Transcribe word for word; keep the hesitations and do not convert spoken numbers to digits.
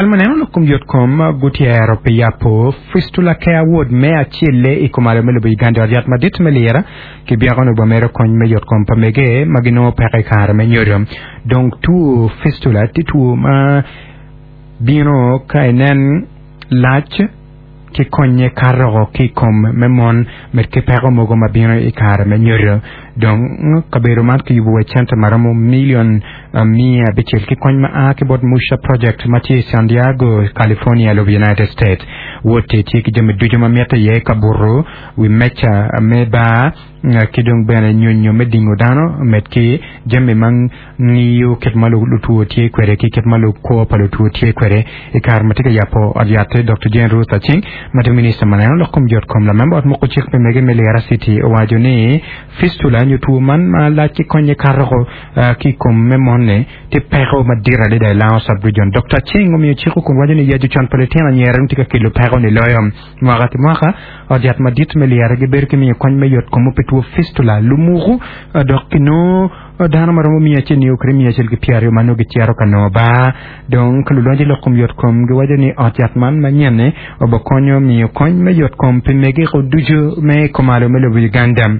Kampuni ma neno lok kom yotkom gutyero pi yabo Fistula Care Ward me acel i kumalo me lobo Uganda. Ot yat madit me Lira kibyeko ni obamito kony me yotkom pa mege ma ginongo peko i kare me nyodo. Dong two fistula tye two ma bino ka inen lac ki konye kato ki i kom me mon med ki peko mogo ma bino i kare me nyodo. Dong kabedo man kiyubo wa cente ma romo milion miya abicel ki kony ma a ki bot Musha Project ma tye i San Diego, California, lobo United States. Wot-ti tye ki jami ducu ma mitte iye, kabuto, wi meca me bar, ki dong bene nyonyo me dingo dano, med ki jami ma ngiyo kit ma lutwo tye kwede ki kit ma kwo pa lutwo tye kwede. I kare ma tye ka yabo ot yat-ti, Doktor Jane Ruth Aceng, ma tye minista ma neno lok kom yotkom, lamemba ot moko cik pi mege me Lira City owaco ni fistula nyo two man ma lac ki konye kato ki i kom me mon-ni tye peko madit adada i Lango Sub-Region. Doktor Aceng omiyo ciko kun waco ni yaco con pa litino anyira dong tye ka kelo peko-ni loyo. Mwaka ki mwaka, ot yat madit me Lira gibedo ki miyo kony me yotkom pi two fistula, lumuku, dok kinongo dano ma romo miya acel nio kwede miya acel ki pyeraryo ma nongo gicito ka nongo bar. Dong ka lulonyo i lok kom yotkom giwaco ni ot yat man manyen-ni obikonyo miyo kony me yotkom pi megeko ducu me kumalo me lobo Uganda.